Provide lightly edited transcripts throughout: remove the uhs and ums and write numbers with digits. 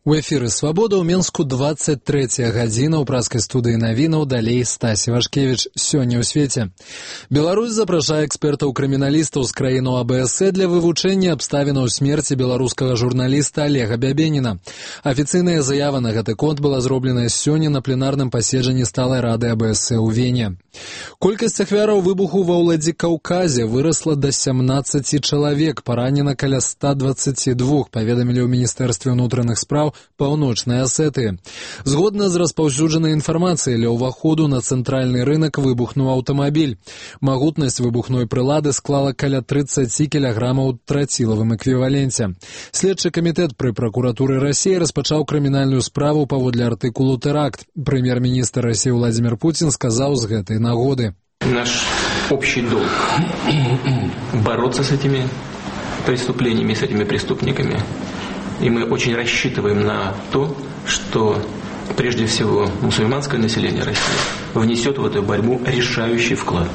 У эфіры «Свабода» ў Менску 23 гадзіна. У праскай студыі навінаў далей Стасі Вашкевіч. Сёння ў свеце. Беларусь запрашае экспертаў-крыміналістаў з краіну АБС для вывучэння абставінаў смерці беларускага журналіста Олега Бябеніна. Афіцыйная заява на гэты конт была зробленая сёння на пленарным паседжанні сталай рады АБС ў Вене. Колькасць ахвяраў выбуху ва Ўладзікаўказе вырасла да 17 чалавек, паранена каля 122, паведамілі ў Міністэрстве ўнутраных спраў Паўночнай Асетыі. Згодна з распаўсюджанай інфармацыяй, ля ўваходу на цэнтральны рынак выбухнуў аўтамабіль. Магутнасць выбухной прылады склала каля 30 кілаграмаў трацілавым эквіваленце. Следчы камітэт пры пракуратуры Расіі распачаў крымінальную справу паводле артыкулу «Тэракт». Прэм'ер-міністр Расіі Владимир Путин сказаў з гэтай нагоды: Наш общий долг – бороться с этими преступлениями, с этими преступниками. И мы очень рассчитываем на то, что прежде всего мусульманское население России внесет в эту борьбу решающий вклад.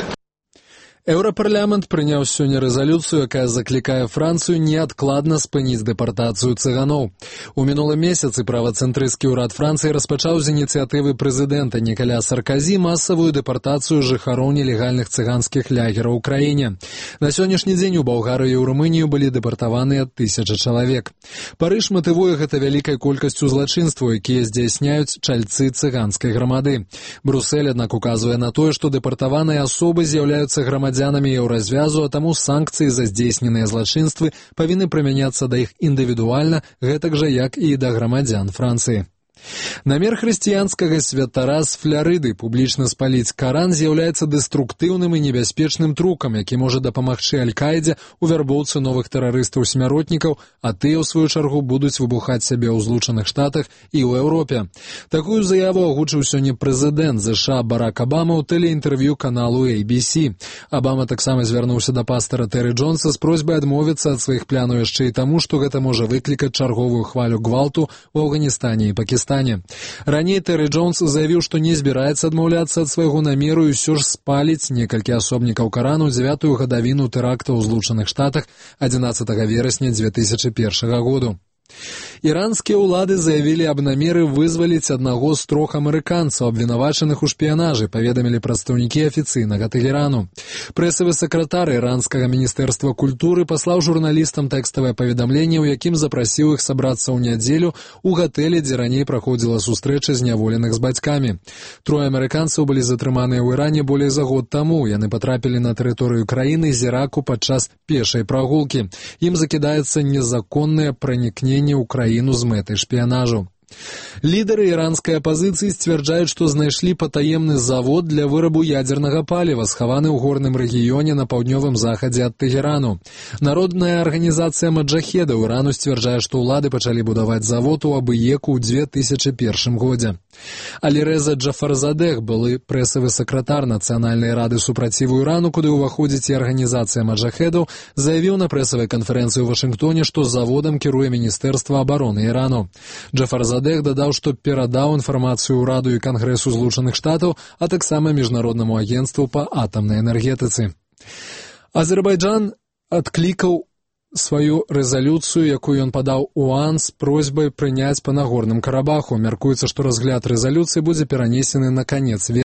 Еўрапарламент прыняў сёння рэзалюцыю, якая заклікае Францыю неадкладна спыніць дэпартацыю цыганоў. У мінулым месяцы правацэнтрысцкі ўрад Францыі распачаў з ініцыятывы прэзідэнта Нікаля Сарказі масавую дэпартацыю жыхароў нелегальных цыганскіх лягераў у краіне. На сённяшні дзень у Балгарыю і ў Румынію былі дэпартаваныя 1000 чалавек. Парыж матывуе гэта вялікай колькасцю злачынстваў, якія здзяйсняюць чальцы цыганскай грамады. Брусэль, аднак, указвае на тое, што дэпартаваныя асобы з'яўляюцца грамадзянамі еўразвязу, а таму санкцыі за здзейсненыя злачынствы павінны прымяняцца да іх індывідуальна, гэтак жа, як і да грамадзян Францыі. Намер хрысціянскага святара з Фларыды публічна спаліць Каран з'яўляецца дэструктыўным і небяспечным трукам, які можа дапамагчы Аль-Каідзе ў вярбоўцы новых тэрарыстаў-смяротнікаў, а тыя, ў сваю чаргу, будуць выбухаць сябе ў Злучаных Штатах і ў Еўропе. Такую заяву агучыў сёння прэзідэнт ЗША Барак Абама ў тэлеінтэрв'ю каналу ABC. Абама таксама звярнуўся да пастара Тэры Джонса з просьбай адмовіцца ад сваіх планаў яшчэ і таму, што гэта можа выклікаць чарговую хвалю гвалту ў Афганістане і Пакістане. Раней Тэры Джонс заявіў, што не збіраецца адмаўляцца ад свайго намеру і ўсё ж спаліць некалькі асобнікаў Карану 9-ю гадавіну тэракта ў Злучаных Штатах 11 верасня 2001 году. Іранскія ўлады заявілі аб намеры вызваліць аднаго з 3 амерыканцаў, абвінавачаных у шпіянажы, паведамілі прадстаўнікі афіцыйнага Тэхерану. Прэсавы сакратар іранскага міністэрства культуры паслаў журналістам тэкставае паведамленне, у якім запрасіў іх сабрацца ў нядзелю ў гатэлі, дзе раней праходзіла сустрэча зняволеных з бацькамі. 3 амерыканцаў былі затрыманыя ў Іране болей за год таму. Яны патрапілі на тэрыторыю краіны з Іраку падчас пешай прагулкі. Ім закідаецца незаконнае пранікненне ў краіну з мэтай шпіянажу. Лідары іранскай апазіцыі сцвярджаюць, што знайшлі патаемны завод для вырабу ядзернага паліва, схаваны ў горным рэгіёне на паўднёвым захадзе ад Тэхерану. Народная арганізацыя маджахедаў Ірану сцвярджае, што ўлады пачалі будаваць завод у Абыеку ў 2001 годзе. Алірэза Джафарзадэх, былы прэсавы сакратар Нацыянальнай рады супраціву Ірану, куды ўваходзіць і арганізацыя маджахедаў, заявіў на прэсавай канферэнцыі ў Вашынгтоне, што заводам кіруе Міністэрства абароны Ірану. Джафарзадэх дадаў, што перадаў інфармацыю ўраду і Кангрэсу Злучаных Штатаў, а таксама Міжнароднаму агенцтву па атамнай энергетыцы. Азербайджан адклікаў сваю рэзалюцыю, якую ён падаў ОАН з просьбай прыняць па Нагорным Карабаху. Мяркуецца, што разгляд рэзалюцыі будзе перанесены на канец